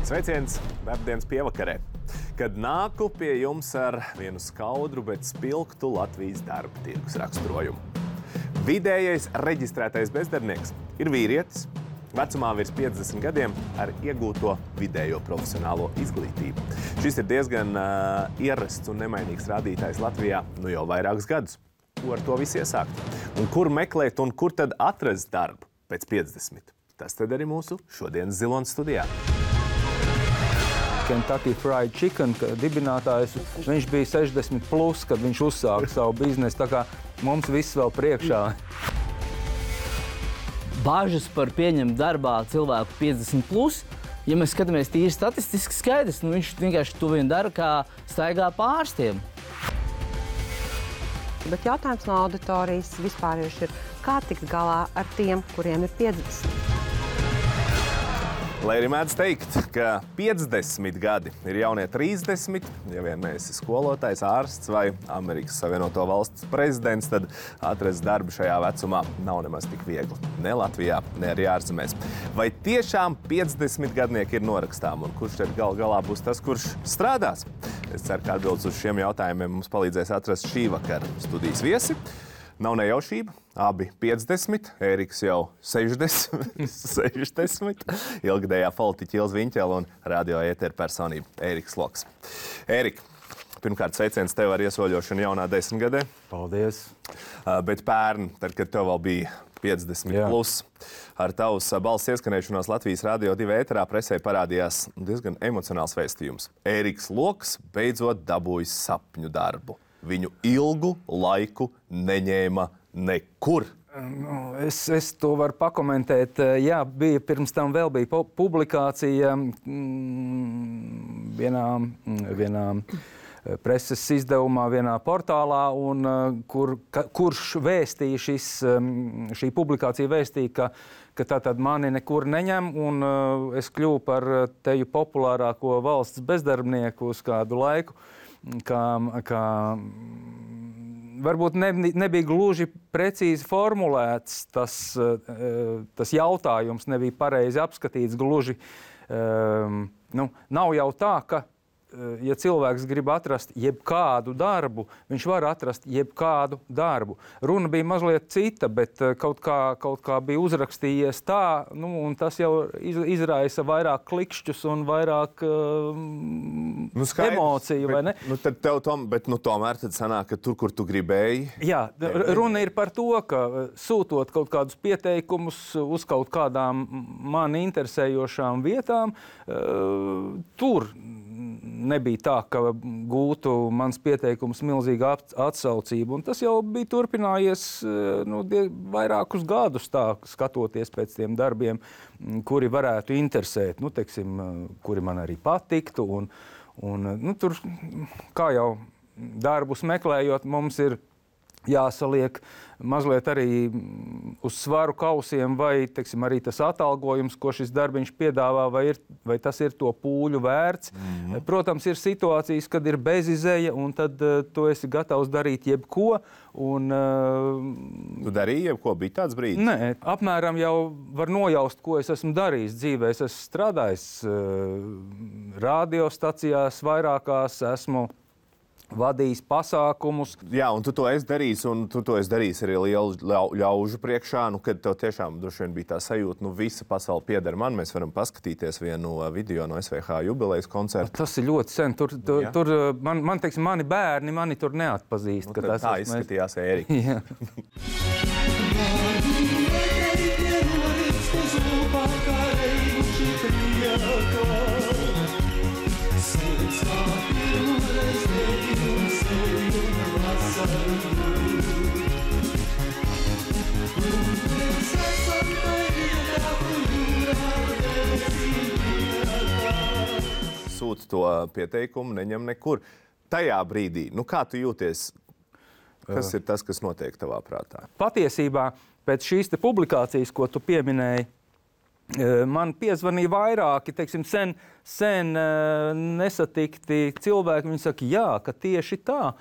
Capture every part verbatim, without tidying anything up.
Sveiciens darbdienas pievakarē, kad nāku pie jums ar vienu skaudru, bet spilgtu Latvijas darba tirgus raksturojumu. Vidējais reģistrētais bezdarbnieks ir vīrietis, vecumā virs piecdesmit gadiem ar iegūto vidējo profesionālo izglītību. Šis ir diezgan uh, ierasts un nemainīgs rādītājs Latvijā nu jau vairākus gadus. Ko ar to visu iesākt? Un kur meklēt un kur tad atrast darbu pēc piecdesmit? Tas tad arī mūsu šodienas Zilonas studijā. Kentucky Fried Chicken dibinātājs, viņš bija sešdesmit plus, kad viņš uzsāka savu biznesu, tā kā mums viss vēl priekšā. Bāžas par pieņemt darbā cilvēku piecdesmit plus, ja mēs skatāmies tīri statistiski skaidrs, nu viņš vienkārši to vien dara, kā staigā pārstiem. Bet jautājums no auditorijas vispārējuši ir, kā tikt galā ar tiem, kuriem ir piecdesmit? Lai arī mēdz teikt, ka piecdesmit gadi ir jaunie trīsdesmit, ja vien neesi skolotājs, ārsts vai Amerikas Savienoto Valstu prezidents, tad atrast darbu šajā vecumā nav nemaz tik viegli. Ne Latvijā, ne arī ārzemēs. Vai tiešām piecdesmit gadnieki ir norakstām un kurš tad gal galā būs tas, kurš strādās? Es ceru, ka atbildes uz šiem jautājumiem mums palīdzēs atrast šī vakara studijas viesi. Nav nejaušība, abi piecdesmit, Ēriks jau sešdesmit, sešdesmit, ilgadējā politiķa Ilze Viņķele un radio ētera personība Ēriks Loks. Ērik, pirmkārt sveiciens tev ar iesoļošanu jaunā desmitgadē. Paldies. Uh, bet pērn, tad, kad tev vēl bija piecdesmit Jā. plus, ar tavus balss ieskanēšanos Latvijas radio divi ēterā presē parādījās diezgan emocionāls vēstījums. Ēriks Loks beidzot dabūjis sapņu darbu. Viņu ilgu laiku neņēma nekur. Es, es to varu pakomentēt. Jā, bija pirms tam vēl bija publikācija vienā, vienā preses izdevumā, vienā portālā, un kur, kurš vēstīja šis, šī publikācija vēstīja, ka, ka tātad mani nekur neņem, un es kļuvu par teju populārāko valsts bezdarbnieku uz kādu laiku. Kā, kā varbūt ne, nebija gluži precīzi formulēts, tas, tas jautājums nebija pareizi apskatīts gluži. Nu, nav jau tā, ka, ja cilvēks grib atrast jebkādu darbu, viņš var atrast jebkādu darbu. Runa bija mazliet cita, bet kaut kā, kaut kā bija uzrakstījies tā, nu, un tas jau izraisa vairāk klikšķus un vairāk uh, nu, skaidrs, emociju, vai ne? Nu, tad tev tom, bet nu, tomēr tad sanāk, ka tur, kur tu gribēji. Jā, runa ir par to, ka sūtot kaut kādus pieteikumus uz kaut kādām mani interesējošām vietām, uh, tur nebija tā, ka gūtu mans pieteikums milzīgu atsaucību. Un tas jau bija turpinājies nu, vairākus gadus tā, skatoties pēc tiem darbiem, kuri varētu interesēt, nu, teiksim, kuri man arī patiktu. Un, un, nu, tur, kā jau darbus meklējot, mums ir jāsaliek mazliet arī uz svaru kausiem, vai, teiksim, arī tas atalgojums, ko šis darbiņš piedāvā, vai, ir, vai tas ir to pūļu vērts. Mm-hmm. Protams, ir situācijas, kad ir bezizeja, un tad uh, tu esi gatavs darīt jebko. Un, uh, tu darīji jebko? Bija tāds brīdis? Nē, apmēram jau var nojaust, ko es esmu darījis dzīvē. Es esmu strādājis uh, radiostacijās vairākās, esmu vadījis pasākumus. Jā, un tu to esi darījis, un tu to esi darījis arī lielu ļaužu priekšā, nu, kad tev tiešām droši vien bija tā sajūta, nu, visa pasaule pieder man, mēs varam paskatīties vienu video no S V H jubilejas koncerta. Tas ir ļoti sen, tur, tur, tur man, man, teiksim, mani bērni mani tur neatpazīst. Nu, tā tā izskatījās Ērika. Jā. Sūta to pieteikumu, neņem nekur. Tajā brīdī, nu kā tu jūties? Kas ir tas, kas notiek tavā prātā? Patiesībā pēc šīs te publikācijas, ko tu pieminēji, man piezvanīja vairāki, teiksim, sen, sen nesatikti cilvēki. Viņi saka, jā, ka tieši tā.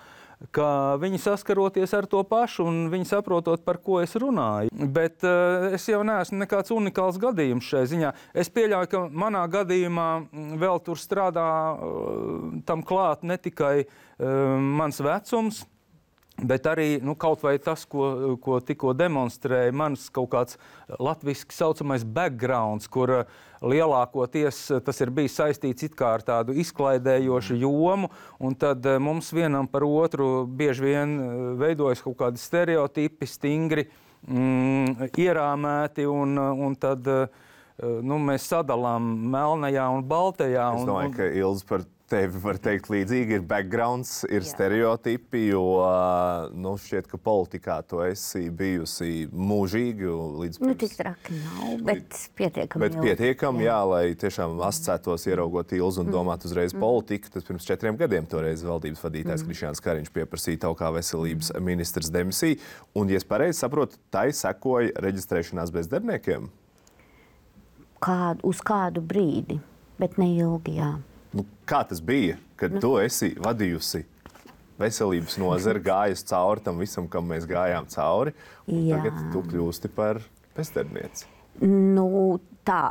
ka viņi saskaroties ar to pašu un viņi saprotot, par ko es runāju. Bet uh, es jau neesmu nekāds unikāls gadījums šai ziņā. Es pieļauju, ka manā gadījumā vēl tur strādā uh, tam klāt ne tikai uh, mans vecums, bet arī nu, kaut vai tas, ko, ko tikko demonstrēja, mans kaut kāds latviski saucamais backgrounds, kur lielākoties tas ir bijis saistīts it kā ar tādu izklaidējošu jomu, un tad mums vienam par otru bieži vien veidojas kaut kādi stereotipi, stingri, mm, ierāmēti, un, un tad nu, mēs sadalām melnajā un baltajā. Es domāju, un, un... ka Ilze par tevi var teikt līdzīgi, ir backgrounds, ir Jā. stereotipi, jo nu, šķiet, ka politikā tu esi bijusi mūžīgi līdz pirms... Nu, tik traki nav, bet pietiekami. Bet pietiekami, jā. jā, lai tiešām asociētos, ieraugot Ilzi un domāt uzreiz mm. politiku. Tas pirms četriem gadiem toreiz valdības vadītājs mm. Krišjāns Kariņš pieprasīja tev kā veselības ministrs demisiju. Un, ja es pareizi saprotu, tai sekoja reģistrēšanās bezdarbniekiem? Kā, uz kādu brīdi, bet ne ilgi, jā. Nu, kā tas bija, kad nu. tu esi vadījusi veselības nozari, gājusi cauri tam visam, kam mēs gājām cauri, un Jā. tagad tu kļūsti par bezdarbnieci? Nu, tā,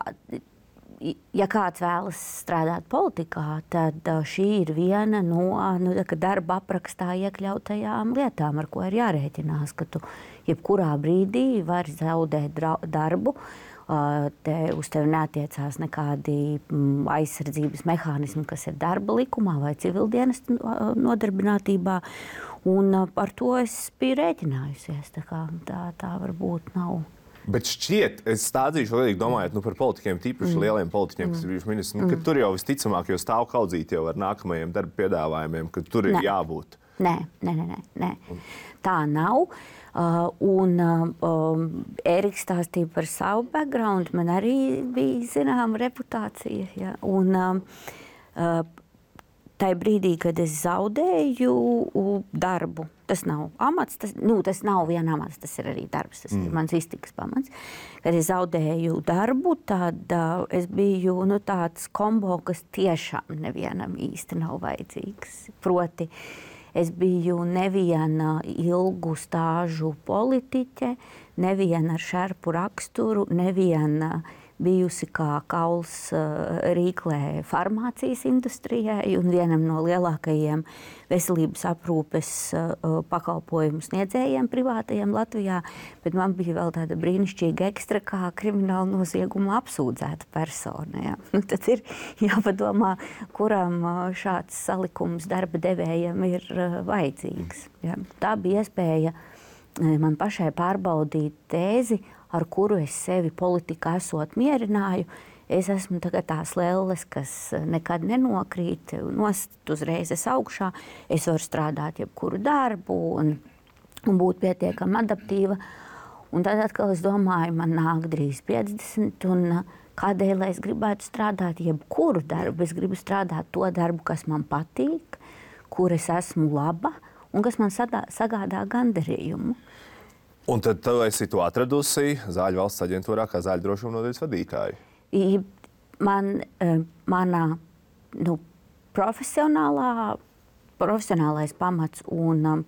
ja kāds vēlas strādāt politikā, tad šī ir viena no nu, darba aprakstā iekļautajām lietām, ar ko ir jārēķinās, ka tu jebkurā brīdī vari zaudēt darbu. Te, uz tevi neatiecās nekādi aizsardzības mehānismi, kas ir darba likumā vai civildienas nodarbinātībā. Un par to es biju rēķinājusies. Tā, kā, tā, tā varbūt nav. Bet šķiet, es stādzīšu lielīgi domājot nu, par politiķiem, tīpaši mm. lieliem politiķiem, kas ir bijuši ministri, nu, mm. ka tur jau visticamāk jau stāv kaudzīti jau ar nākamajiem darba piedāvājumiem, ka tur ir ne. jābūt. Nē, nē, nē, nē. Tā nav. Uh, un uh, Ēriks stāstīja par savu background, man arī bija zināma reputācija. Ja? Un uh, uh, tajā brīdī, kad es zaudēju darbu, tas nav amats, tas, nu, tas nav viena amats, tas ir arī darbs, tas mm. ir mans iztikas pamats. Kad es zaudēju darbu, tad uh, es biju nu, tāds kombo, kas tiešām nevienam īsti nav vajadzīgs. Proti, es biju neviena ilgu stāžu politiķe, neviena ar šerpu raksturu, neviena bijusi kā kauls rīklē farmācijas industrijai un vienam no lielākajiem veselības aprūpes pakalpojumu sniedzējiem privātajiem Latvijā, bet man bija vēl tāda brīnišķīga ekstra kā krimināla nozieguma apsūdzēta persona. Ja. Nu, tad ir jāpadomā, kuram šāds salikums darba devējiem ir vajadzīgs. Ja. Tā bija iespēja man pašai pārbaudīt tēzi, ar kuru es sevi politikā esot mierināju. Es esmu tagad tās lelles, kas nekad nenokrīt, nost uzreiz es augšā. Es varu strādāt jebkuru darbu un, un būt pietiekami adaptīva. Un tad atkal es domāju, man nāk drīz piecdesmit, un kādēļ es gribētu strādāt jebkuru darbu? Es gribu strādāt to darbu, kas man patīk, kur es esmu laba un kas man sadā, sagādā gandarījumu. Un tad tu esi to atradusi Zāļu valsts aģentūrā kā zāļu drošuma nodaļas vadītāju? Man, manā nu, profesionālā, profesionālais pamats un um,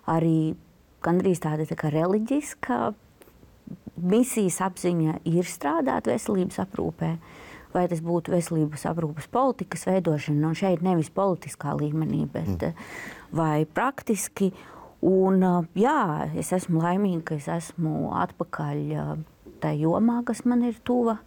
arī gandrīz tāda tā kā reliģiska misijas apziņa ir strādāt veselības aprūpē. Vai tas būtu veselības aprūpes politikas veidošana, un šeit nevis politiskā līmenī, bet mm. vai praktiski. Un, jā, es esmu laimīga, ka es esmu atpakaļ tajā jomā, kas man ir tuva.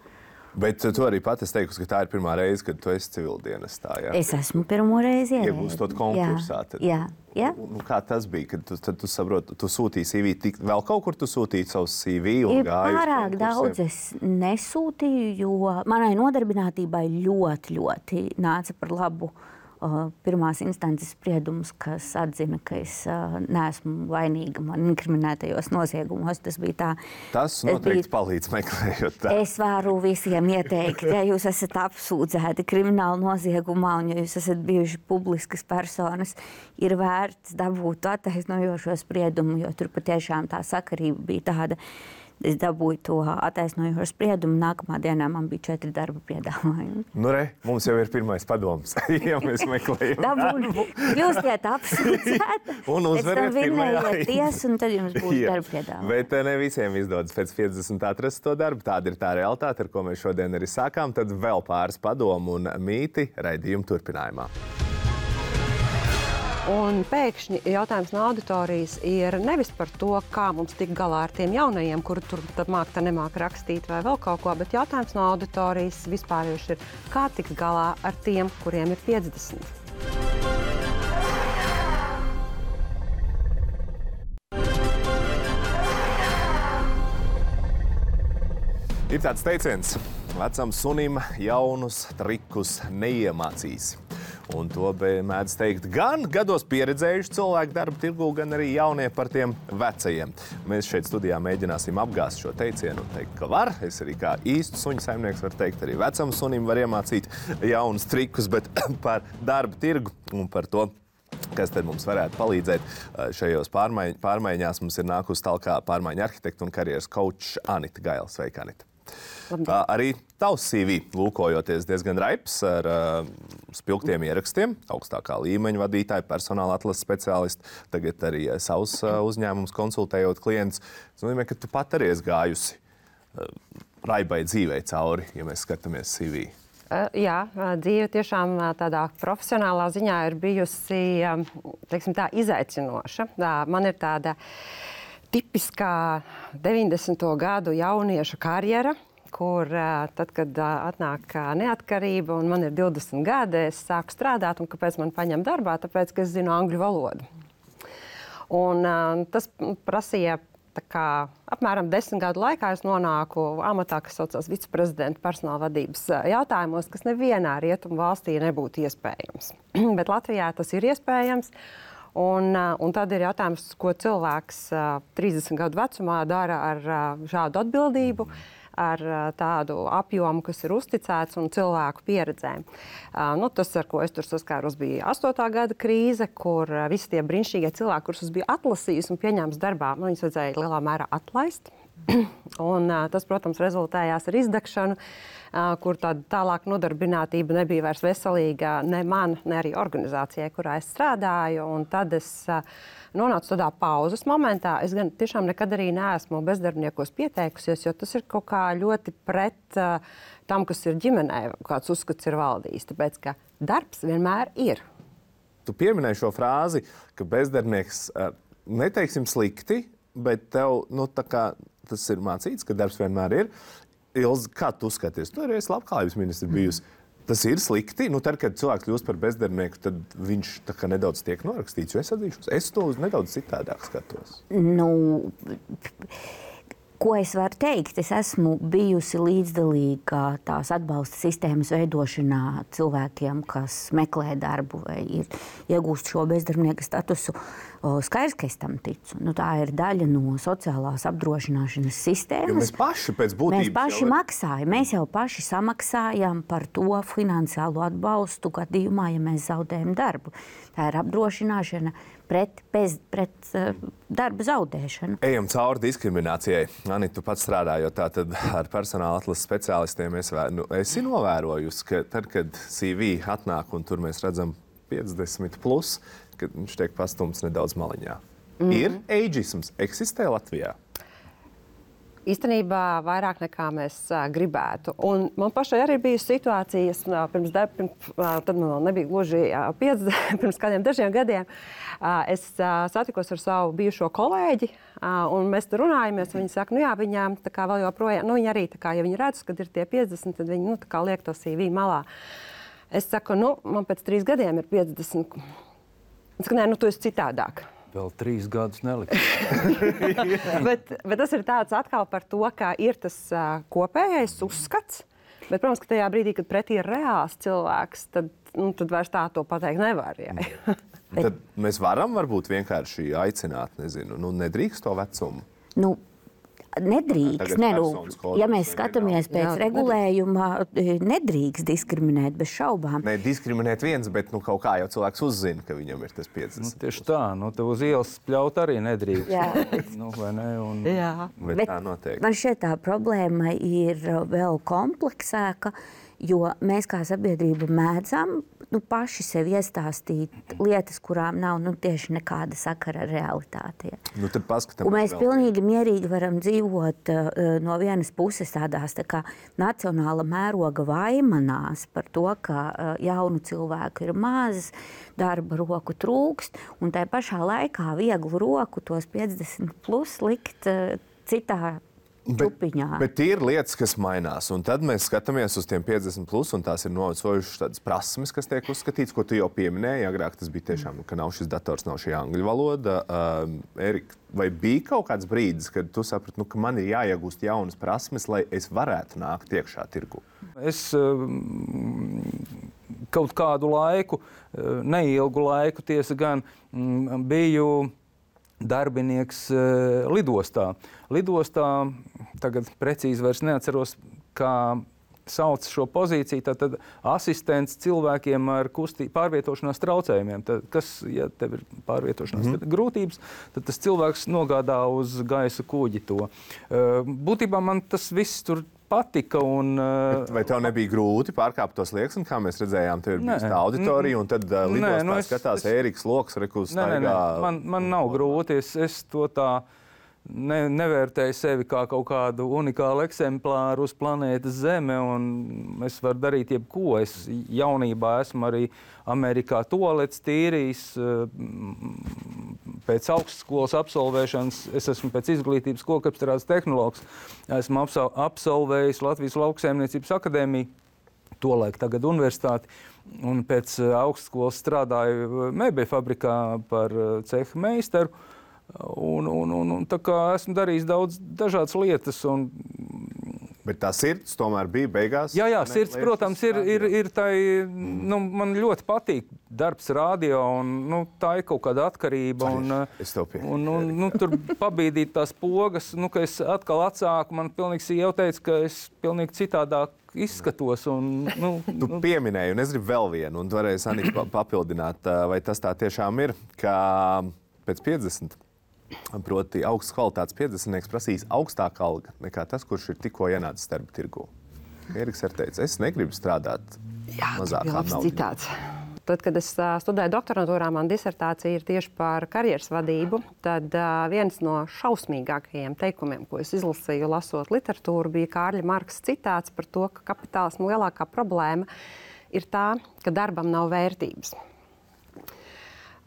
Bet tu arī pati esi teikusi, ka tā ir pirmā reize, kad tu esi civildienestā. Jā? Es esmu pirmo reizi ierēdzi. Iegūstot konkursā. Tad, jā, jā. Nu, kā tas bija, kad tu, tu saproti, tu sūtīji C V, tik, vēl kaut kur tu sūtīji savus C V un gāji? Pārāk daudz es nesūtīju, jo manai nodarbinātībai ļoti, ļoti nāca par labu Uh, pirmās instances spriedums, kas atzina, ka es uh, neesmu vainīga man inkriminētajos noziegumos. Tas bija tā. Tas noteikti bija... palīdz meklējot tā. Es varu visiem ieteikt, ja jūs esat apsūdzēti krimināla noziegumā un ja jūs esat bijuši publiskas personas, ir vērts dabūt attaisnojošo spriedumu, jo tur patiešām tā sakarība bija tāda. es dabūju to attaisnojošo spriedumu. Nākamā dienā man bija četri darba piedāvājumi. Nu, re, mums jau ir pirmais padoms, ja mēs meklējam darbu. Kļūstiet apsūdzēti, un uzvariet pirmajā tiesu, un tad jums būs darba piedāvājumi. Bet ne visiem izdodas pēc piecdesmit atrast to darbu. Tāda ir tā realitāte, ar ko mēs šodien arī sākām. Tad vēl pāris padomu un mīti raidījuma turpinājumā. Un pēkšņi jautājums no auditorijas ir nevis par to, kā mums tikt galā ar tiem jaunajiem, kuri tur māk, tā nemāk rakstīt vai vēl kaut ko, bet jautājums no auditorijas vispārījuši ir, kā tikt galā ar tiem, kuriem ir piecdesmit. Ir tāds teiciens, vecam sunim jaunus trikus neiemācīs. Un to mēdz teikt gan gados pieredzējuši cilvēki darba tirgū, gan arī jaunie par tiem vecajiem. Mēs šeit studijā mēģināsim apgāzt šo teicienu un teikt, ka var. Es arī kā īstu suņu saimnieks varu teikt, arī vecam sunim var iemācīt jaunus trikus, bet par darba tirgu un par to, kas tad mums varētu palīdzēt šajos pārmaiņ, pārmaiņās, mums ir nākusi talkā pārmaiņu arhitekta un karjeras coach Anita Gaila. Sveika, Anita! Labdien. Arī tavs C V lūkojoties diezgan raips ar uh, spilgtiem ierakstiem, augstākā līmeņa vadītāji, personāla atlases speciālisti, tagad arī uh, savus uh, uzņēmumus konsultējot klientus. Tas nozīmē, ka tu pat arī esi gājusi uh, raibai dzīvei cauri, ja mēs skatāmies C V. Uh, jā, dzīve tiešām tādā profesionālā ziņā ir bijusi, um, teiksim tā, izaicinoša. Tā, man ir tāda tipiskā deviņdesmito gadu jaunieša karjera, kur tad, kad atnāk neatkarība un man ir divdesmit gadi, es sāku strādāt, un kāpēc man paņem darbā? Tāpēc, ka es zinu angļu valodu. Un tas prasīja tā kā apmēram desmit gadu laikā es nonāku amatā, kas saucās viceprezidenta personāla vadības jautājumos, kas nevienā rietumu valstī nebūtu iespējams. Bet Latvijā tas ir iespējams. Un, un tad ir jautājums, ko cilvēks trīsdesmit gadu vecumā dara ar šādu atbildību, ar tādu apjomu, kas ir uzticēts un cilvēku pieredzēm. Nu, tas, ar ko es tur saskāros, bija astotā gada krīze, kur visi tie brīnišķīgie cilvēki, kurus es biju atlasījis un pieņēmis darbā, man viņus vajadzēja lielā mērā atlaist. Un tas, protams, rezultējās ar izdegšanu, kur tāda tālāk nodarbinātība nebija vairs veselīga ne man, ne arī organizācijai, kurā es strādāju. Un tad es nonācu tādā pauzes momentā. Es gan tiešām nekad arī neesmu bezdarbniekos pieteikusies, jo tas ir kaut kā ļoti pret tam, kas ir ģimenē, kāds uzskats ir valdījis. Tāpēc, ka darbs vienmēr ir. Tu pieminēji šo frāzi, ka bezdarbnieks neteiksim slikti, bet tev, nu, tā kā tas ir mācīts, ka darbs vienmēr ir. Ilze, kā tu skaties? Tu arī esi labklājības ministra bijusi. Tas ir slikti. Nu, tad, kad cilvēks kļūst par bezdarbnieku, tad viņš tā kā nedaudz tiek norakstīts. Jo es atzīšos, es to nedaudz citādāk skatos. Nu, ko es varu teikt? Es esmu bijusi līdzdalīga tās atbalsta sistēmas veidošanā cilvēkiem, kas meklē darbu vai ir iegūst šo bezdarbnieka statusu. Skaidrs, ka es tam ticu. Nu, tā ir daļa no sociālās apdrošināšanas sistēmas. Jo mēs paši pēc būtības mēs paši jau... maksājam. Mēs jau paši samaksājam par to finansiālo atbalstu gadījumā, ja mēs zaudējam darbu. Tā ir apdrošināšana pret, bez, pret uh, darba zaudēšanu. Ejam cauri diskriminācijai. Anita, tu pats strādājot tātad ar personāla atlases speciālistiem, es nu, esi novērojusi, ka tad, kad C V atnāk un tur mēs redzam piecdesmit plus, kad viņš tiek pastumts nedaudz maliņā. Mm-hmm. Ir ageisms, eksistē Latvijā? Īstenībā vairāk nekā mēs uh, gribētu. Un man pašai arī bija situācijas, uh, pirms, pirms uh, tad man vēl nebija gluži uh, piecdesmit, pirms kādiem dažiem gadiem. Uh, es uh, satikos ar savu bijušo kolēģi, uh, un mēs tur runājamies. Viņi saka, nu jā, viņām tā kā vēl joprojām, nu viņi arī tā kā, ja viņi redz, kad ir tie piecdesmit, tad viņi, nu tā kā liek to C V malā. Es saku, nu, man pēc trīs gadiem ir piecdesmit. Es saku, nē, nu tu esi citādāk. Vēl trīs gadus neliks. bet, bet tas ir tāds atkal par to, ka ir tas uh, kopējais uzskats. Bet, protams, ka tajā brīdī, kad pretī ir reāls cilvēks, tad, nu, tad vairs tā to pateikt nevar. Tad mēs varam varbūt vienkārši aicināt, nezinu, nu nedrīkst to vecumu. Nu, Nedrīkst. Ne, nu, ja mēs skatāmies pēc jā, regulējuma, nedrīkst diskriminēt bez šaubām. Ne, diskriminēt viens, bet nu, kaut kā jau cilvēks uzzina, ka viņam ir tas piecdesmit. Nu, tieši tā, nu, te uz ielas pļaut arī nedrīkst. Jā. Nu, vai ne? Un... Jā. Bet, bet tā noteikti. Man šķiet tā problēma ir vēl kompleksāka, jo mēs kā sabiedrība mēdzam nu, paši sev iestāstīt lietas, kurām nav nu, tieši nekāda sakara ar realitāti. Nu, tad paskatāmies. Un mēs pilnīgi mierīgi varam dzīvot uh, no vienas puses tādās tā kā nacionāla mēroga vaimanās par to, ka uh, jaunu cilvēku ir maz, darba roku trūkst, un tai pašā laikā vieglu roku tos piecdesmit plus likt uh, citā Bet, bet ir lietas, kas mainās, un tad mēs skatāmies uz tiem piecdesmit plus, un tās ir novecojušas tādas prasmes, kas tiek uzskatīts, ko tu jau pieminēji. Agrāk tas bija tiešām, ka nav šis dators, nav šī angļu valoda. Uh, Erika, vai bija kaut kāds brīdis, kad tu saprati, nu, ka man ir jāiegūst jaunas prasmes, lai es varētu nākt iekšā tirgu? Es uh, kaut kādu laiku, uh, neilgu laiku, tiesa gan, mm, biju darbinieks uh, lidostā. Lidostā, tagad precīzi vairs neatceros, kā sauc šo pozīciju, tad, tad asistents cilvēkiem ar kustī, pārvietošanās traucējumiem. Tad, kas, ja tev ir pārvietošanās mm. grūtības, tad tas cilvēks nogādā uz gaisa kuģi to. Uh, būtībā man tas viss tur patika. Un, Bet vai tev nebija grūti pārkāpt tos slieksni, kā mēs redzējām, tev ir bijis tā auditorija, un tad uh, lidostā nu es, skatās es, Ēriks Loks, rekus staigā? Nē, nē, nē. Man, man nav grūti, es, es to tā ne, nevērtēju sevi kā kaut kādu unikālu eksemplāru uz planētas Zeme, un es varu darīt jebko. Es jaunībā esmu arī Amerikā tualets tīrījis. Pēc augstskolas absolvēšanas es esmu pēc izglītības kokapstrādes tehnologs. Esmu absolvējis Latvijas Lauksaimniecības akadēmiju, tolaik tagad universitāti, un pēc augstskolas strādāju mēbeļu fabrikā par ceha meistaru. Un, un, un, un tā kā esmu darījis daudz dažādas lietas. Un... Bet tā sirds tomēr bija beigās? Jā, jā, sirds, protams, ir, ir, ir tai, nu, man ļoti patīk darbs radio, un nu, tā ir kaut kāda atkarība. Un, es tev pieņemu. Un, un, nu, tur pabīdīt tās pogas, nu, ka es atkal atsāku, man pilnīgi sieva jau teica, ka es pilnīgi citādāk izskatos. Un, nu, tu nu. pieminēji, un es gribu vēl vienu, un tu varēsi Anita papildināt, vai tas tā tiešām ir, ka pēc piecdesmit, proti augsts kvalitātes piecdesmitnieks prasīs augstāku algu nekā tas, kurš ir tikko ienācis darba tirgū. Eriks ir teicis, es negribu strādāt mazākā naudā. Tad, kad es studēju doktorantūrā, man disertācija ir tieši par karjeras vadību, tad uh, viens no šausmīgākajiem teikumiem, ko es izlasīju, lasot literatūru, bija Kārļa Marksa citāts par to, ka kapitālisma lielākā problēma ir tā, ka darbam nav vērtības.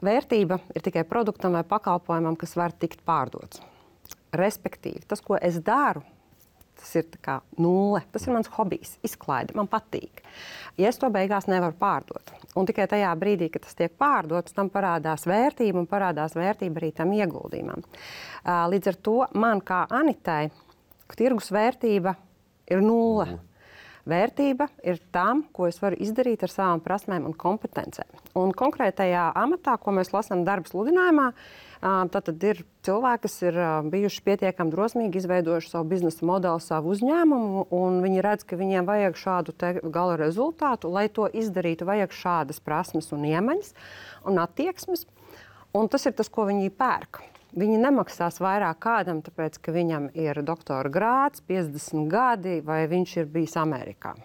Vērtība ir tikai produktam vai pakalpojumam, kas var tikt pārdots. Respektīvi, tas, ko es daru, tas ir tā kā nulle. Tas ir mans hobijs, izklaide, man patīk. Ja es to beigās nevaru pārdot, un tikai tajā brīdī, kad tas tiek pārdots, tam parādās vērtība un parādās vērtība arī tam ieguldījumam. Līdz ar to man kā Anitai tirgus vērtība ir nulle. Vērtība ir tam, ko es varu izdarīt ar savām prasmēm un kompetencēm. Un konkrētajā amatā, ko mēs lasām darba sludinājumā, tad ir cilvēki, kas ir bijuši pietiekami drosmīgi, izveidojuši savu biznesa modeli, savu uzņēmumu, un viņi redz, ka viņiem vajag šādu gala rezultātu. Lai to izdarītu, vajag šādas prasmes un iemaņas un attieksmes. Un tas ir tas, ko viņi pērk. Viņi nemaksās vairāk kādam, tāpēc, ka viņam ir doktora grāds, piecdesmit gadi, vai viņš ir bijis Amerikā.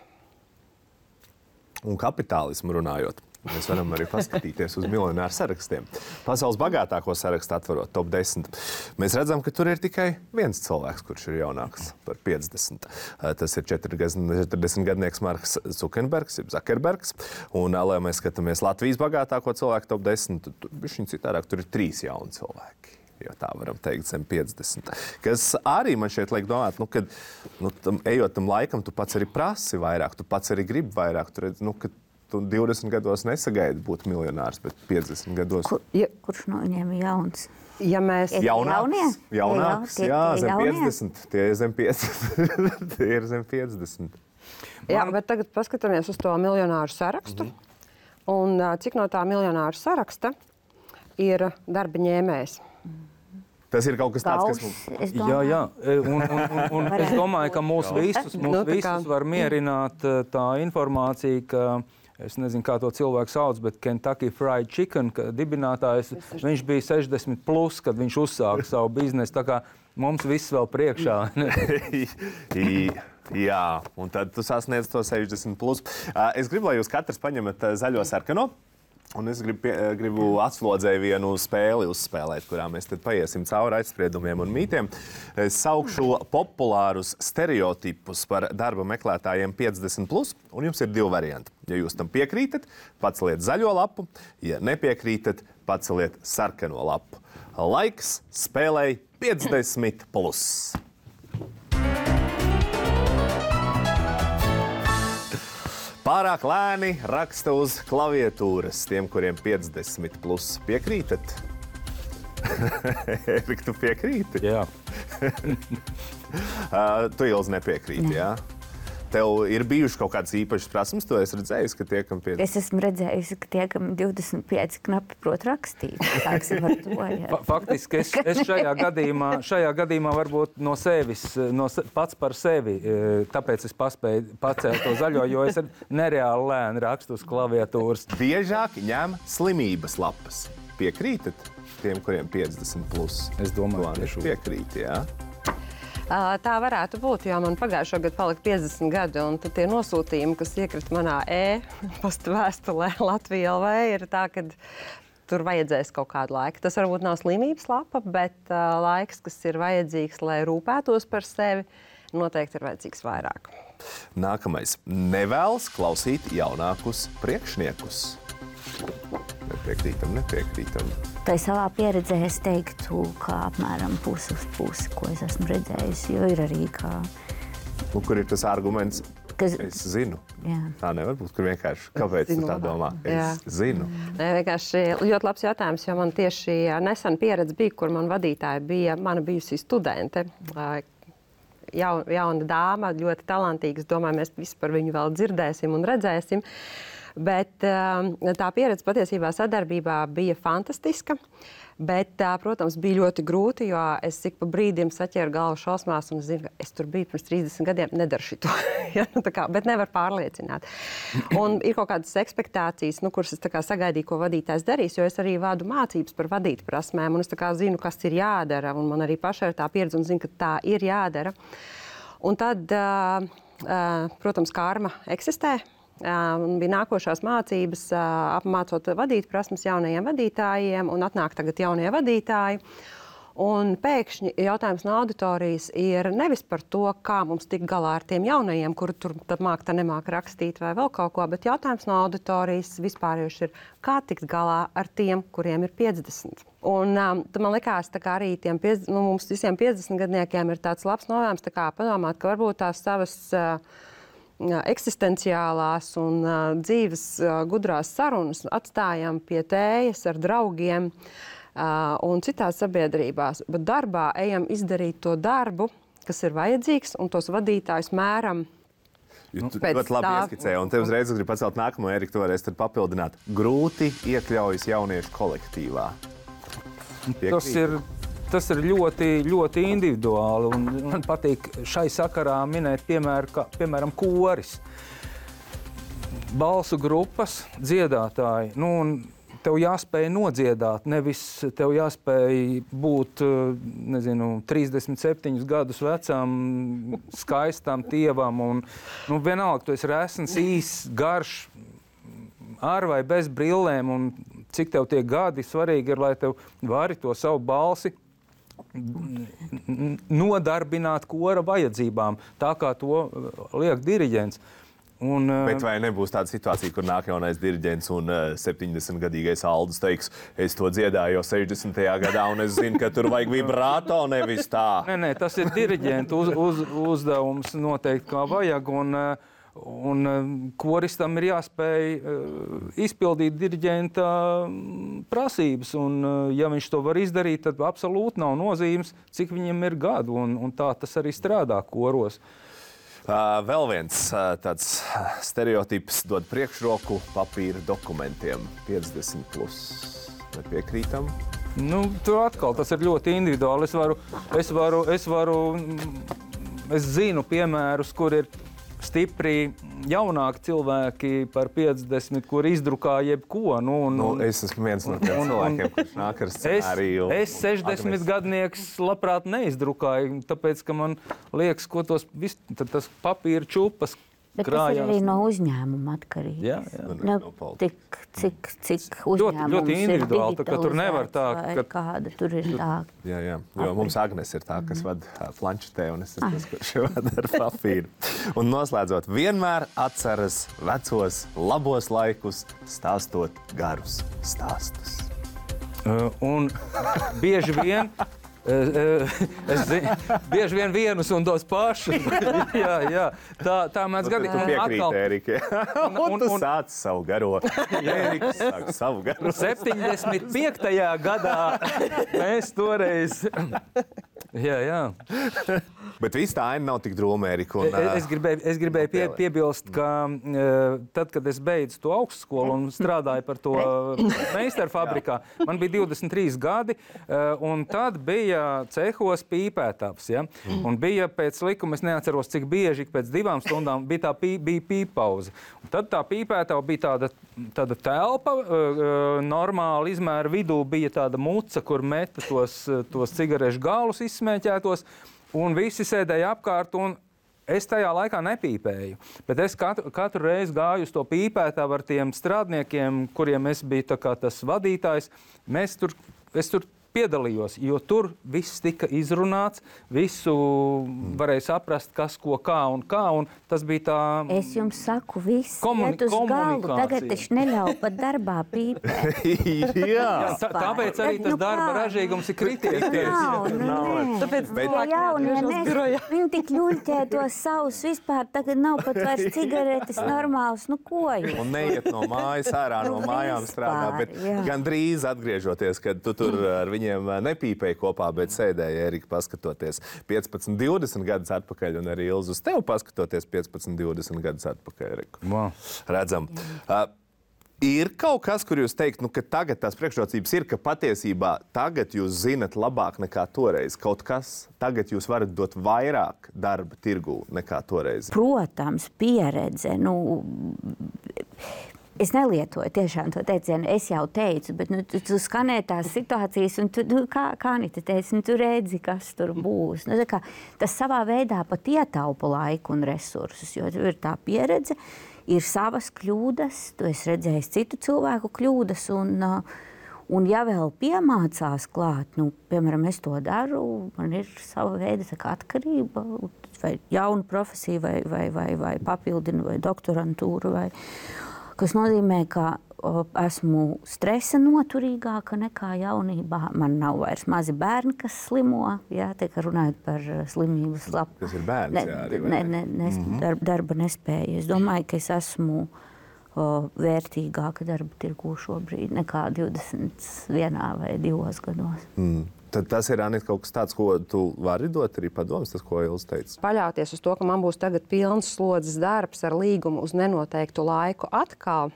Un kapitālismu runājot, mēs varam arī paskatīties uz miljonāru sarakstiem. Pasaules bagātāko sarakstu atverot top desmit. Mēs redzam, ka tur ir tikai viens cilvēks, kurš ir jaunāks par piecdesmit. Tas ir četrdesmitgadnieks Marks Zukenbergs, jeb Zakerbergs. Un, lai mēs skatāmies Latvijas bagātāko cilvēku top desmit, tur bišķiņ citādāk, tur ir trīs jauni cilvēki. Jo tā varam teikt zem piecdesmit. Kas arī man šeit liek domāt, nu, kad nu, tam, ejot tam laikam, tu pats arī prasi vairāk, tu pats arī gribi vairāk. Tu redz, nu, ka tu divdesmit gados nesagaidi būt miljonārs, bet piecdesmit gados. Kur, ja, kurš no viņiem ir jauns? Ja mēs... Jaunāks, jaunāks, tie, jā, tie zem jaunie? piecdesmit. Tie ir zem piecdesmit. Tie ir zem piecdesmit. Jā, bet tagad paskatāmies uz to miljonāru sarakstu. Mm-hmm. Un cik no tā miljonāru saraksta ir darba ņēmējs? Tas ir kaut kas tāds, kas mums... Es Jā, domāju, jā. Un, un, un, un es domāju, ka mūs visus, mūs Nu, tā kā- visus var mierināt uh, tā informācija, ka es nezinu, kā to cilvēku sauc, bet Kentucky Fried Chicken ka dibinātājs, viņš bija sešdesmit plus, kad viņš uzsāka savu biznesu. Tā kā mums viss vēl priekšā. Jā, un tad tu sasniedz to sešdesmit plus. Uh, es gribu, lai jūs katrs paņemat uh, zaļo sarkano. Un es gribu, pie, gribu atslodzēju vienu spēli uzspēlēt, kurā mēs tad paiesim cauri aizspriedumiem un mītiem. Es saukšu populārus stereotipus par darba meklētājiem piecdesmit plus, un jums ir divi varianti. Ja jūs tam piekrītat, paceliet zaļo lapu, ja nepiekrītat, paceliet sarkano lapu. Laiks spēlei piecdesmit plus. Pārāk lēni raksta uz klaviatūras tiem, kuriem piecdesmit plus. Piekrītat? Erika, tu piekrīti? Jā. uh, tu, Ilze, nepiekrīti, jā? Tev ir bijuši kaut kādas īpašas prasmes, to es redzēju, ka tie, kam piecdesmit... es esmu redzējusi, ka tie, kam divdesmit pieci knapi prot rakstīt. Sāksim ar to, jā. Fa- Faktiski es, es šajā, gadījumā, šajā gadījumā varbūt no sevis, no se, pats par sevi, e, tāpēc es paspēju pacelt to zaļo, jo es nereāli lēni rakstu uz klaviatūras. Biežāk ņem slimības lapas. Piekrītat tiem, kuriem piecdesmit plus? Es domāju, Lāni, tieši piekrīt, jā. Uh, Tā varētu būt, jo man pagājušo gadu palika piecdesmit gadi, un tad tie nosūtījumi, kas iekrita manā e-pasta vēstulē Latvija L V, ir tā, ka tur vajadzēs kaut kādu laiku. Tas varbūt nav slimības lapa, bet uh, laiks, kas ir vajadzīgs, lai rūpētos par sevi, noteikti ir vajadzīgs vairāk. Nākamais. Nevēlas klausīt jaunākus priekšniekus. Nepiekrītam, nepiekrītam. Tai savā pieredzē es teiktu, ka apmēram pusi uz pusi, ko es esmu redzējusi, jo ir arī kā... Nu, kur ir tas arguments? Kas... Es zinu. Jā. Tā nevar būt, kur vienkārši, kāpēc tu tā domā? Es Jā. zinu. Nē, vienkārši ļoti labs jautājums, jo man tieši nesen pieredze bija, kur man vadītāja bija mana bijusī studente. Jaun, jauna dāma, ļoti talantīga. Es domāju, mēs visi par viņu vēl dzirdēsim un redzēsim. Bet tā pieredze patiesībā sadarbībā bija fantastiska. Bet, protams, bija ļoti grūti, jo es ik pa brīdim saķēru galvu šausmās un zinu, ka es tur biju pirms trīsdesmit gadiem, nedaru šito. ja, nu, tā kā, bet nevar pārliecināt. Un ir kaut kādas ekspektācijas, nu, kuras es tā kā sagaidīju, ko vadītājs darīs, jo es arī vadu mācības par vadīt prasmēm, un es tā kā zinu, kas ir jādara, un man arī pašai ir tā pieredze un zinu, ka tā ir jādara. Un tad, uh, uh, protams, karma eksistē. Un bija nākošās mācības, apmācot vadīt prasmes jaunajiem vadītājiem, un atnāk tagad jaunie vadītāji. Un pēkšņi jautājums no auditorijas ir nevis par to, kā mums tikt galā ar tiem jaunajiem, kuri tur māk, tā nemāk rakstīt vai vēl kaut ko, bet jautājums no auditorijas vispārējuši ir, kā tikt galā ar tiem, kuriem ir piecdesmit. Un um, man likās, tā kā arī tiem piecdesmit, nu, mums visiem piecdesmitgadniekiem ir tāds labs novērojums, tā kā padomāt, ka varbūt tās savas uh, eksistenciālās un uh, dzīves uh, gudrās sarunas atstājam pie tējas ar draugiem uh, un citās sabiedrībās, bet darbā ejam izdarīt to darbu, kas ir vajadzīgs, un tos vadītājus mēram. Jo tu Pēc ļoti labi tā- ieskicēji, un te uzreiz es gribu pacelt nākamo, Erika, tu varēsi tad papildināt. Grūti iekļaujas jauniešu kolektīvā. Tas ir, tas ir ļoti, ļoti individuāli. Un man patīk šai sakarā minēt, piemēr, ka, piemēram, koris. Balsu grupas, dziedātāji. Nu, un tev jāspēj nodziedāt, nevis tev jāspēj būt, nezinu, trīsdesmit septiņus gadus vecam, skaistam tievam. Un, nu, vienalga, tu esi resns, īss, garš, ar vai bez brillēm, un cik tev tie gadi svarīgi ir, lai tev vari to savu balsi nodarbināt kora vajadzībām, tā kā to liek diriģents. Un, Bet vai nebūs tāda situācija, kur nāk jaunais diriģents un uh, septiņdesmitgadīgais Aldis teiks, es to dziedāju jau sešdesmitajā gadā, un es zinu, ka tur vajag vibrāto, nevis tā? Nē, nē, tas ir diriģenta uz, uz, uzdevums noteikti, kā vajag. Un, un koristam ir jāspēj izpildīt diriģenta prasības. Un, ja viņš to var izdarīt, tad absolūti nav nozīmes, cik viņam ir gadu. Un, un tā tas arī strādā koros. Uh, vēl viens uh, tāds stereotips dod priekšroku papīra dokumentiem. piecdesmit plus. Nepiekrītam? Nu, tur atkal tas ir ļoti individuāli. Es varu, es varu, es varu, es zinu piemērus, kur ir stipri jaunāki cilvēki par piecdesmit, kur izdrukā jebko. Nu, un, Nu, es esmu viens no tiem cilvēkiem, kurš nāk ar Es, scenāriju. es sešdesmit gadnieks labprāt neizdrukāju, tāpēc, ka man liekas, ko tos vis, tad tas papīra čupas Bet krājās. tas ir arī no uzņēmuma atkarīgs. Jā, jā. Nu, No tik, cik, cik Ļoti- uzņēmums ļoti individuāli, ir tā ka tur nevar tā, digitalizēts, vai ka- kāda tur ir tā. Jā, jā, jo mums Agnes ir tā, kas vada ā, planšetē, un es esmu tas, kurš vada ar papīru. Un noslēdzot, vienmēr atceras vecos, labos laikus, stāstot garus stāstus. Uh, un bieži vien, uh, uh, es zinu, bieži vien vienus un tos pašus. jā, jā, tā, tā mēdz Tu gadīt. piekrīti, Ērika. Un, un- tu un- sāc savu garo. Ēriks sāk savu garo. septiņdesmit piektajā gadā mēs toreiz. jā, jā. Bet viss tā aina nav tik drūma, Ērika. un, Es, es gribēju, es gribēju pie, piebilst, ka uh, tad, kad es beidzu to augstskolu un strādāju par to meistaru fabrikā, man bija divdesmit trīs gadi, uh, un tad bija cehos pīpētājs. Ja? Un bija pēc likuma, es neatceros, cik bieži, pēc divām stundām bija tā pī, bija pīpauze. Un tad tā pīpētāja bija tāda, tāda telpa, uh, normāla izmēra vidū bija tāda muca, kur meta tos, tos cigarešu galus izsmēķētos. Un visi sēdēja apkārt, un es tajā laikā nepīpēju. Bet es katru, katru reizi gāju uz to pīpētāju ar tiem strādniekiem, kuriem es biju tā kā tas vadītājs. Mēs tur, es tur piedalījos, jo tur viss tika izrunāts, visu varēja saprast, kas, ko, kā un kā. Un tas bija tā. Es jums saku, viss Komuni- iet uz galu. komunikācija. Tagad taču neļauj pat darbā pīpēt. Jā. Tā, tāpēc arī Bet, tas nu darba kā? ražīgums ir krities. Nav, nu nē. Tāpēc Bet- To jaunie atgriežas birojā. nes, viņi tik ļuļķē tos savus vispār, tagad nav pat vairs cigaretes normāls, nu ko jūs? Un neiet no mājas ārā, no Nu, mājām strādā. Bet vispār, jā. gan drīz atgriežoties, kad tu tur ar viņiem nepīpēji kopā, bet sēdēji, Ērika, paskatoties piecpadsmit, divdesmit gadus atpakaļ, un arī Ilza uz tevi paskatoties piecpadsmit, divdesmit gadus atpakaļ. Ērika. Wow. Redzam. Uh, Ir kaut kas, kur jūs teikt, nu, ka tagad tās priekšrocības ir, ka patiesībā tagad jūs zinat labāk nekā toreiz. Kaut kas tagad jūs varat dot vairāk darba tirgū nekā toreiz. Protams, pieredze. Nu, es nelietoju tiešām to teicienu, es jau teicu, bet nu, tu, tu skanē tās situācijas, un tu, nu, kā, kā Anita teica, nu, tu redzi, kas tur būs. Nu, tā kā, tas savā veidā pat ietaupa laiku un resursus, jo ir tā pieredze, ir savas kļūdas, tu esi redzējis citu cilvēku kļūdas, un, uh, un ja vēl piemācās klāt, nu, piemēram, es to daru, man ir sava veida tā kā atkarība, vai jauna profesija, vai, vai, vai, vai papildina, vai doktorantūra, vai, kas nozīmē, ka o, esmu stresa noturīgāka nekā jaunībā. Man nav vairs mazi bērni, kas slimo, jā, tiek runājot par slimības lapu. Tas ir bērns, ne, jā, arī, vai ne, ne? ne, nes, mm -hmm. darba, darba nespēja. Es domāju, ka es esmu o, vērtīgāka darba tirgū šobrīd nekā divdesmit vienā vai divos gados. Mm. Tad tas ir, Anita, kaut kas tāds, ko tu vari dot arī padomus, tas, ko Ilza teica. Paļauties uz to, ka man būs tagad pilns slodzes darbs ar līgumu uz nenoteiktu laiku atkal,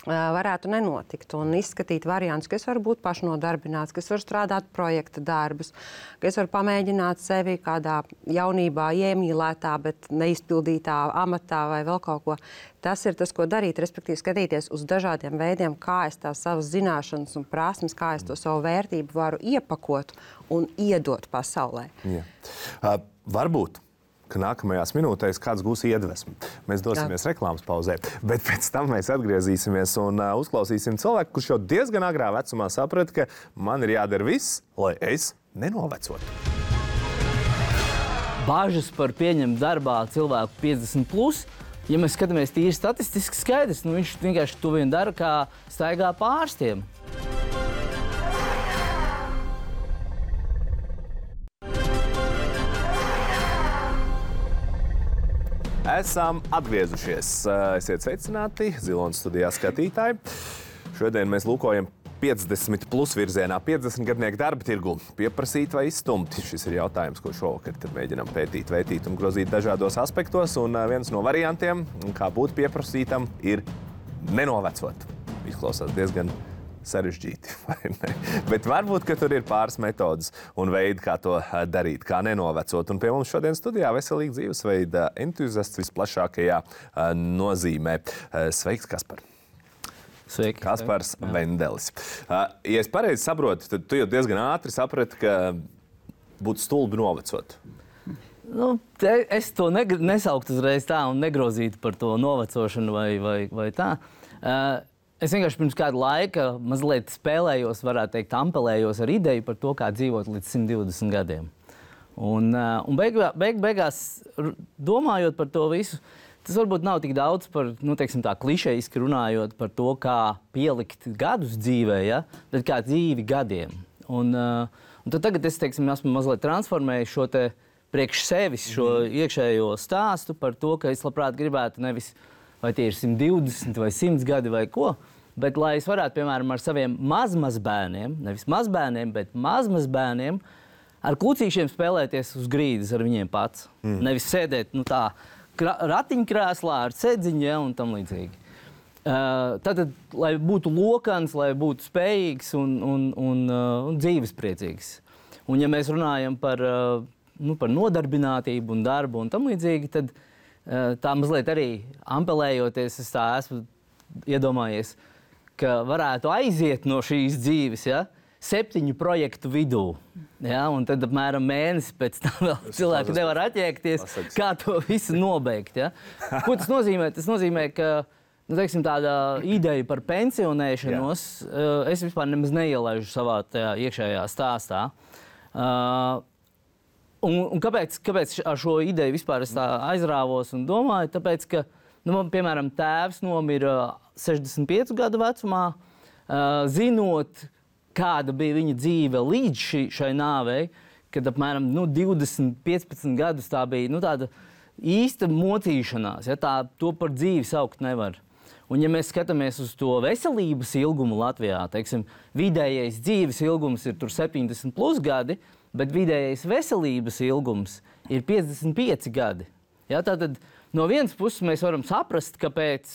varētu nenotikt. Un izskatīt variantus, ka es varu būt pašnodarbināts, ka es varu strādāt projekta darbus, ka es varu pamēģināt sevi kādā jaunībā iemīlētā, bet neizpildītā amatā vai vēl kaut ko. Tas ir tas, ko darīt, respektīvi skatīties uz dažādiem veidiem, kā es tās savas zināšanas un prasmes, kā es to savu vērtību varu iepakot un iedot pasaulē. Jā. Uh, varbūt, ka nākamajās minūtēs kāds gūs iedvesmu. Mēs dosimies Jā. reklāmas pauzē, bet pēc tam mēs atgriezīsimies un uh, uzklausīsim cilvēku, kurš jau diezgan agrā vecumā saprata, ka man ir jādara viss, lai es nenovecotu. Bāžas par pieņemt darbā cilvēku piecdesmit plus. Ja mēs skatāmies tīri statistiski skaidrs, nu viņš vienkārši to vien dara, kā staigā pa ārstiem. Esam atgriezušies. Esiet sveicināti Zilonas studijā skatītāji. Šodien mēs lūkojam piecdesmit plus virzienā, piecdesmit gadnieku darba tirgu. Pieprasīt vai izstumt? Šis ir jautājums, ko šovakar mēģinām pētīt, vētīt un grozīt dažādos aspektos. Un viens no variantiem, kā būt pieprasītam, ir nenovecot. Izklausās diezgan sarežģīti. Bet varbūt, ka tur ir pāris metodas un veidi, kā to darīt, kā nenovecot. Un pie mums šodien studijā veselīga dzīvesveida entuziasts visplašākajā nozīmē. Sveiks, Kaspar! Sveiki. Kaspars Vendelis. Ja es pareizi saprotu, tad tu jau diezgan ātri saprati, ka būtu stulbi novecot. Nu, te, es to negr- nesauktu uzreiz tā un negrozītu par to novecošanu vai, vai, vai tā. Uh, es vienkārši pirms kāda laika mazliet spēlējos, varētu teikt, ampelējos ar ideju par to, kā dzīvot līdz simt divdesmit gadiem. Un, uh, un beig, beig, beigās, domājot par to visu, tas varbūt nav tik daudz par, nu, teiksim tā, klišejiski runājot par to, kā pielikt gadus dzīvē, ja? Bet kā dzīvi gadiem. Un, uh, un tad tagad es, teiksim, esmu mazliet transformējis šo te priekš sevis šo iekšējo stāstu par to, ka es labprāt gribētu nevis, vai tie ir simt divdesmit vai simt gadi vai ko, bet lai es varētu, piemēram, ar saviem mazmazbērniem, nevis mazbērniem, bet mazmazbērniem, ar klucīšiem spēlēties uz grīdas ar viņiem pats. Mm. Nevis sēdēt, nu tā, ratiņkrēslā ar sēdziņu, ja, un tam līdzīgi. Uh, tātad, lai būtu lokans, lai būtu spējīgs un, un, un, uh, un dzīvespriecīgs. Un ja mēs runājam par uh, Nu, par nodarbinātību un darbu un tam līdzīgi, tad tā mazliet arī ampelējoties, es tā esmu iedomājies, ka varētu aiziet no šīs dzīves, ja, septiņu projektu vidū. Ja, un tad apmēram mēnesi pēc tam vēl cilvēki nevar attiekties, kā to visu nobeigt. Ja. Ko tas nozīmē? Tas nozīmē, ka nu, teiksim, tāda ideja par pensionēšanos Jā. es vispār nemaz neielaižu savā tajā iekšējā stāstā. Uh, Un, un kāpēc, kāpēc ar šo ideju vispār es tā aizrāvos un domāju? Tāpēc, ka, nu, man, piemēram, tēvs nomira sešdesmit piecu gadu vecumā, uh, zinot, kāda bija viņa dzīve līdz ši, šai nāvei, kad apmēram nu, divdesmit, piecpadsmit gadus tā bija nu, tāda īsta mocīšanās. Ja, tā, to par dzīvi saukt nevar. Un, ja mēs skatāmies uz to veselības ilgumu Latvijā, teiksim, vidējais dzīves ilgums ir tur septiņdesmit plus gadi, bet vidējais veselības ilgums ir piecdesmit pieci gadi. Ja, tātad no vienas puses mēs varam saprast, kāpēc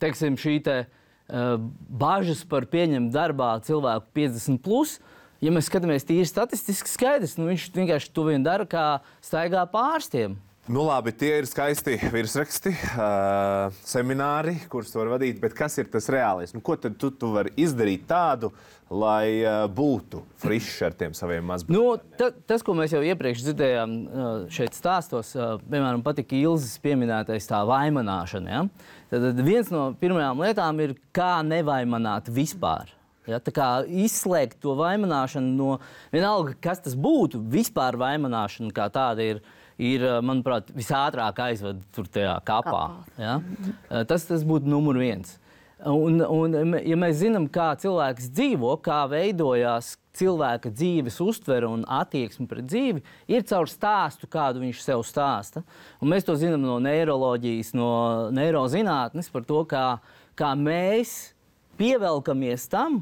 teiksim, šī te, uh, bažas par pieņemt darbā cilvēku piecdesmit plus, ja mēs skatāmies tīri statistiski skaidrs, nu viņš vienkārši to vien dara, kā staigā pārstiem. Nu labi, tie ir skaisti virsraksti, uh, semināri, kurus tu vari vadīt, bet kas ir tas reālais? Nu, ko tad tu, tu vari izdarīt tādu, lai uh, būtu frišs ar tiem saviem mazbērniem? Nu, ta, tas, ko mēs jau iepriekš dzirdējām uh, šeit stāstos, uh, piemēram, patika Ilzes pieminētais tā vaimanāšana. Ja? Tad viens no pirmajām lietām ir, kā nevaimanāt vispār. Ja? Tā kā izslēgt to vaimanāšanu no vienalga, kas tas būtu, vispār vaimanāšana kā tāda ir, ir, manuprāt, visātrāk aizved tur tajā kapā. Ja? Tas, tas būtu numur viens. Un, un, ja mēs zinām, kā cilvēks dzīvo, kā veidojās cilvēka dzīves uztvere un attieksme pret dzīvi, ir caur stāstu, kādu viņš sev stāsta. Un mēs to zinām no neiroloģijas, no neirozinātnes par to, kā, kā mēs pievelkamies tam,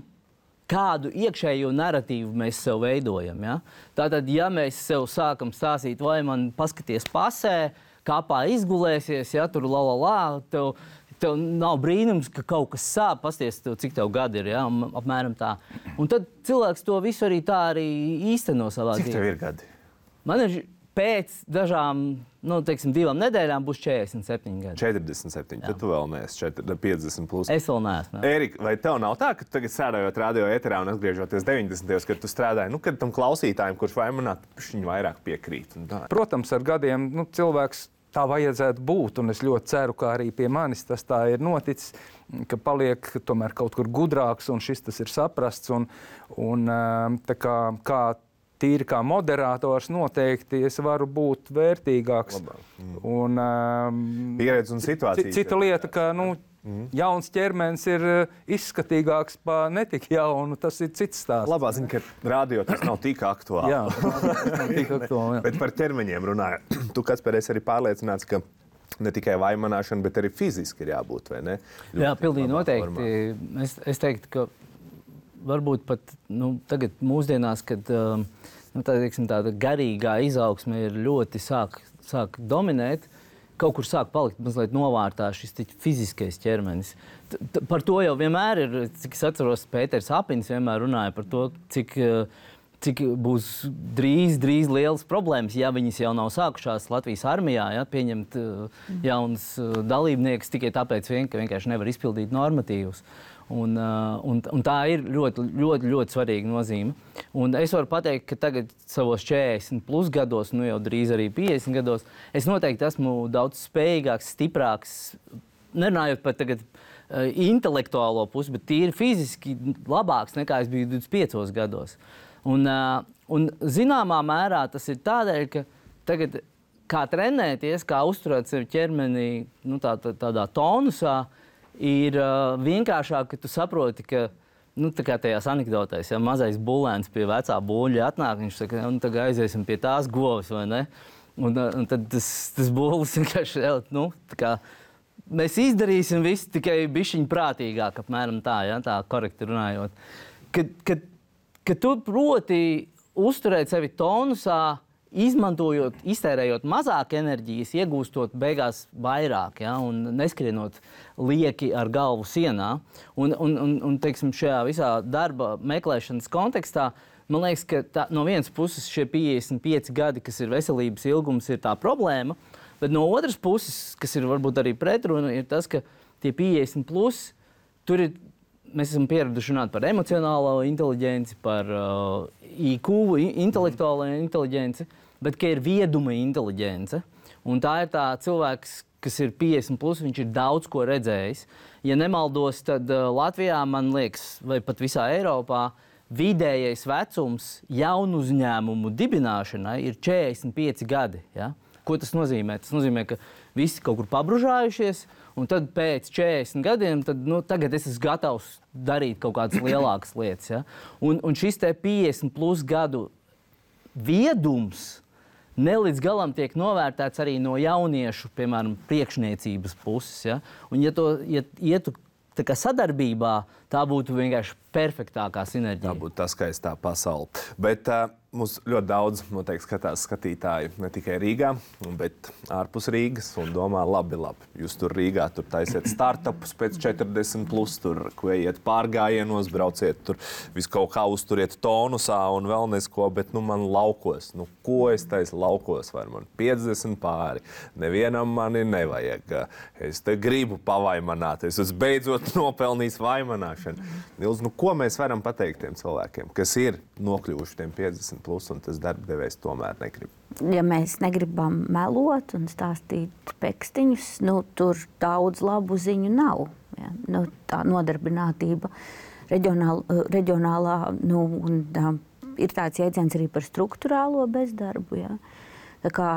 kādu iekšējo narratīvu mēs sev veidojam. Ja? Tātad, ja mēs sev sākam stāstīt, vai man paskaties pasē, kāpā izgulēsies, ja tur la la la, tev, tev nav brīnums, ka kaut kas sāp, pasties tev, cik tev gadi ir, ja? Apmēram tā. Un tad cilvēks to visu arī tā arī īsteno savā dzīvē. Cik tev ir gadi? Man ir pēc dažām, nu, teiksim, divām nedēļām būs četrdesmit septiņi gadi. četrdesmit septiņi, tad tu vēl neesi piecdesmit plus. Es vēl neesmu. Ērika, vai tev nav tā, ka tagad strādājot radio ēterā un atgriežoties deviņdesmitajos, kad tu strādāji, nu, kad tam klausītājiem, kurš vaimanāt, viņi vairāk piekrīt? Protams, ar gadiem nu, cilvēks tā vajadzētu būt, un es ļoti ceru, ka arī pie manis tas tā ir noticis, ka paliek tomēr kaut kur gudrāks, un šis tas ir saprasts, un, un tā kā, kā tīri kā moderators noteikti es varu būt vērtīgāks. Mm. Un, um, pieredze un situācijas. Cita lieta, ka nu, mm. jauns ķermenis ir izskatīgāks par netik jaunu, tas ir cits stāsts. Labā ziņa, ka radio tas nav tik aktuāli. Jā, tas nav tik aktuāli. Jā. Bet par ķermeņiem runājot, tu, Kaspar, esi arī pārliecināts, ka ne tikai vaimanāšana, bet arī fiziski ir jābūt, vai ne? Jā, pilnīgi noteikti. Es, es teiktu, ka varbūt pat nu, tagad mūsdienās, kad nu, tā, teiksim, tāda garīgā izaugsme ir ļoti sāk, sāk dominēt, kaut kur sāk palikt mazliet novārtā šis fiziskais ķermenis. T -t par to jau vienmēr ir, cik es atceros, Pēters Apins vienmēr runāja par to, cik, cik būs drīz, drīz lielas problēmas, ja viņas jau nav sākušās Latvijas armijā, ja, pieņemt jaunas dalībniekus tikai tāpēc, vien, ka vienkārši nevar izpildīt normatīvus. Un, un, un tā ir ļoti, ļoti, ļoti svarīga nozīme. Un es varu pateikt, ka tagad savos četrdesmit plus gados, nu jau drīz arī piecdesmit gados, es noteikti esmu daudz spējīgāks, stiprāks, nerunājot par tagad uh, intelektuālo pusi, bet tīri fiziski labāks nekā es biju divdesmit piecos gados. Un, uh, un zināmā mērā tas ir tādēļ, ka tagad kā trenēties, kā uzturēt sevi ķermenī, nu, tā, tā, tādā tonusā, ir uh, vienkāršāk, ka tu saproti, ka, nu, tā kā tajās anekdotēs, ja mazais bulēns pie vecā buļļa atnāk, viņš saka, nu, tagad aiziesim pie tās govs, vai ne? Un, un tad tas, tas bulis vienkārši, nu, tā kā mēs izdarīsim visu tikai bišķiņ prātīgāk, apmēram tā, ja, tā korekti runājot. Kad, kad, kad tu proti uzturēt sevi tonusā, izmantojot, iztērējot mazāk enerģijas, iegūstot beigās vairāk, ja, un neskrienot lieki ar galvu sienā. Un, un, un, un teiksim, šajā visā darba meklēšanas kontekstā, man liekas, ka tā, no vienas puses šie piecdesmit pieci gadi, kas ir veselības ilgums, ir tā problēma, bet no otras puses, kas ir varbūt arī pretruna, ir tas, ka tie piecdesmit plus, tur ir, mēs esam pieraduši runāt par emocionālo inteliģenci, par uh, I Q, intelektuālo inteliģenci, bet ka ir vieduma inteliģence. Un tā ir tā cilvēks, kas ir piecdesmit plus, viņš ir daudz ko redzējis. Ja nemaldos, tad uh, Latvijā, man liekas, vai pat visā Eiropā, vidējais vecums jaunu uzņēmumu dibināšanai ir četrdesmit pieci gadi. Ja? Ko tas nozīmē? Tas nozīmē, ka visi kaut kur pabružājušies, un tad pēc četrdesmit gadiem, tad, nu, tagad es esmu gatavs darīt kaut kādas lielākas lietas. Ja? Un, un šis te piecdesmit plus gadu viedums ne līdz galam tiek novērtēts arī no jauniešu, piemēram, priekšniecības puses. Ja? Un ja to ja ietu tā kā sadarbībā, tā būtu vienkārši perfektākā sinerģija. Tā būtu tā skaistā pasaule. Bet uh, mums ļoti daudz noteikti skatās skatītāji ne tikai Rīgā, bet ārpus Rīgas un domā, labi, labi. Jūs tur Rīgā tur taisiet startupus pēc četrdesmit plus, tur kvējiet pārgājienos, brauciet tur visu kaut kā uzturiet tonusā un vēl nesko, bet nu man laukos. Nu ko es taisu laukos? Vai man piecdesmit pāri? Nevienam mani nevajag. Es te gribu pavaimanāt. Es esmu beidzot nopelnījis vaimanāšanu. Nils, nu ko mēs varam pateikt tiem cilvēkiem, kas ir nokļuvuši tiem piecdesmit plus un tas darbdevējs tomēr negrib? Ja mēs negribam melot un stāstīt pekstiņus, nu, tur daudz labu ziņu nav. Ja? Nu, tā nodarbinātība reģionāla, reģionālā, nu, un tā, ir tāds jēdziens arī par struktūrālo bezdarbu. Ja? Tā kā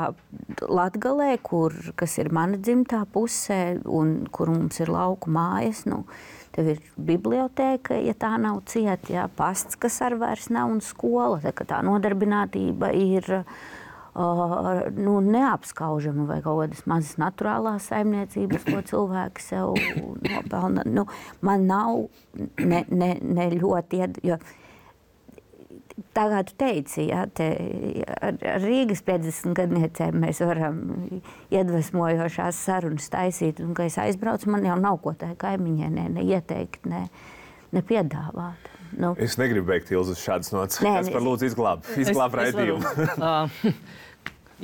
Latgalē, kur, kas ir mana dzimtā pusē un kur mums ir lauku mājas, nu, tev ir bibliotēka, ja tā nav cieta, ja, pasts, kas ar vairs nav, un skola. Tā, tā nodarbinātība ir uh, nu, neapskaužama vai kaut kādas mazas naturālās saimniecības, ko cilvēki sev nopelna. Nu, man nav ne, ne, ne ļoti, jo tā kā tu teici, ja, te, ar, ar Rīgas piecdesmit gadniecēm mēs varam iedvesmojošās sarunas taisīt, un, kad es aizbraucu, man jau nav ko tai kaimiņai ne, ne ieteikt, ne, ne piedāvāt. Nu. Es negribu beigt Ilzu uz šādas nots. Nē, es par lūdzu izglāb, izglāb raidījumu. uh,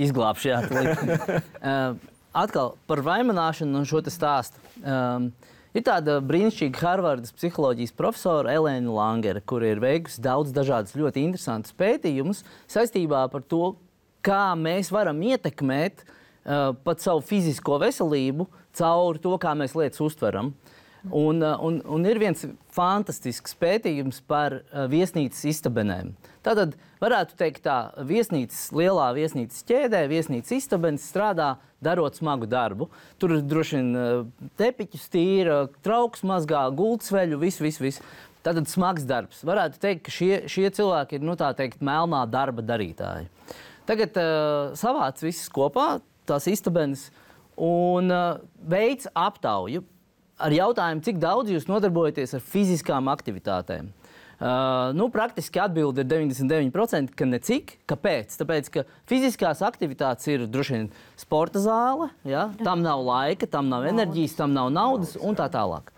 Izglābšu, jā. uh, atkal par vaimanāšanu un šo te stāstu. Um, Ir tāda brīnišķīga Harvardas psiholoģijas profesora Elēna Langere, kur ir veikusi daudz dažādas ļoti interesantas pētījumus saistībā par to, kā mēs varam ietekmēt uh, pat savu fizisko veselību caur to, kā mēs lietas uztveram. Un, uh, un, un ir viens fantastisks pētījums par uh, viesnīcas istabenēm. Tātad varētu teikt tā, viesnīcas, lielā viesnīcas ķēdē, viesnīcas istabenes strādā darot smagu darbu. Tur droši vien tepiķus tīra, trauks mazgā, gultsveļu, visu, visu, visu. Tātad smags darbs. Varētu teikt, ka šie, šie cilvēki ir, nu tā teikt, melnā darba darītāji. Tagad uh, savāc visus kopā, tās istabenes, un uh, veic aptauju ar jautājumu, cik daudz jūs nodarbojaties ar fiziskām aktivitātēm. Uh, nu, praktiski atbilde ir deviņdesmit deviņi procenti, ka necik. Kāpēc? Tāpēc, ka fiziskās aktivitātes ir droši vien sporta zāle, ja? Tam nav laika, tam nav enerģijas, tam nav naudas un tā tālāk.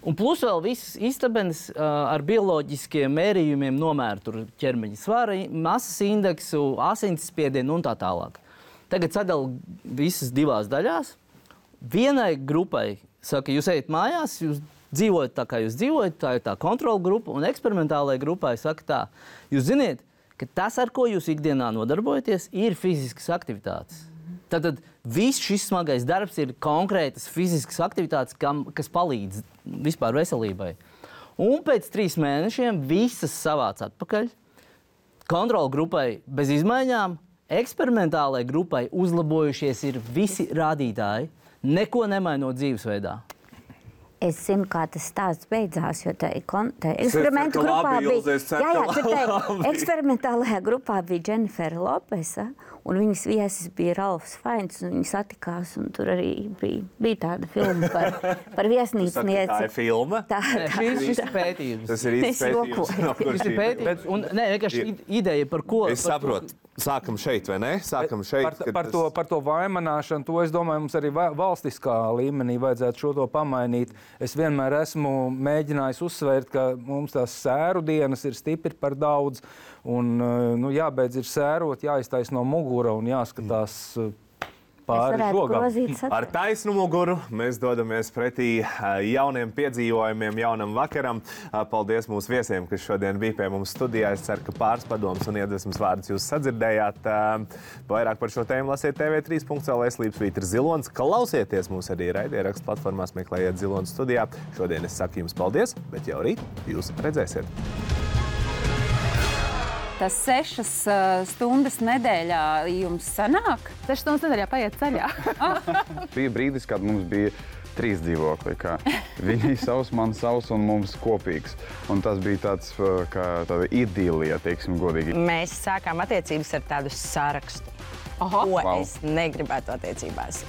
Un plus vēl visas istabenes uh, ar bioloģiskiem mērījumiem nomēra tur ķermeņa svara, masas indeksu, asinsspiedienu un tā tālāk. Tagad sadala visas divās daļās. Vienai grupai saka, jūs ejat mājās, jūs dzīvojat tā, kā jūs dzīvojat, tā ir tā kontrola grupa, un eksperimentālajai grupai saka tā, jūs ziniet, ka tas, ar ko jūs ikdienā nodarbojaties, ir fiziskas aktivitātes. Tātad viss šis smagais darbs ir konkrētas fiziskas aktivitātes, kam, kas palīdz vispār veselībai. Un pēc trīs mēnešiem visas savāc atpakaļ. Kontrola grupai bez izmaiņām, eksperimentālajai grupai uzlabojušies ir visi rādītāji, neko nemainot dzīvesveidā. Es zinu, kā tas stāsts beidzās, jo tā eksperimentu grupā bija... Jā, jā, tā eksperimentālajā grupā bija Dženifera Lopesa, un viņas viesis bija Ralfs Fains, un viņi satikās, un tur arī bija, bija tāda filma par, par viesnīcnieci. Tā ir filma? Tā, tā, Šis ir pētījums. Tas ir īsts pētījums. No kur Šis ir šī- pētījums. Un, ne, vienkārši ideja par ko... Es par ko- saprotu. Sākam šeit, vai ne? Sākam šeit. Par, kad par, tas- to, par to vaimanāšanu, to es domāju, mums arī va- valstiskā līmenī vajadzētu šo to pamainīt. Es vienmēr esmu mēģinājis uzsvērt, ka mums tās sēru dienas ir stipri par daudz. Un, nu, jābeidz ir sērot, jāiztais no mugura un jāskatās pāri žogam. Ar taisnu muguru mēs dodamies pretī jauniem piedzīvojumiem, jaunam vakaram. Paldies mūsu viesiem, kas šodien bija pie mums studijā. Es ceru, ka pāris padomus un iedvesmas vārdus jūs sadzirdējāt. Vairāk par šo tēmu lasiet T V trīs punkts L V slīpsvīt ir Zilonis. Klausieties mūs arī raidierakstu platformās, meklējiet Zilonis studijā. Šodien es saku jums paldies, bet jau rīt jūs redzēsiet. Tas sešas uh, stundas nedēļā jums sanāk? Sešas stundas nedēļā paiet ceļā. Bija brīdis, kad mums bija trīs dzīvokļi. Viņi savs, man savs un mums kopīgs. Un tas bija tāds, kā tāda idilija, teiksim godīgi. Mēs sākām attiecības ar tādu sarakstu, ko Wow. es negribētu attiecībās.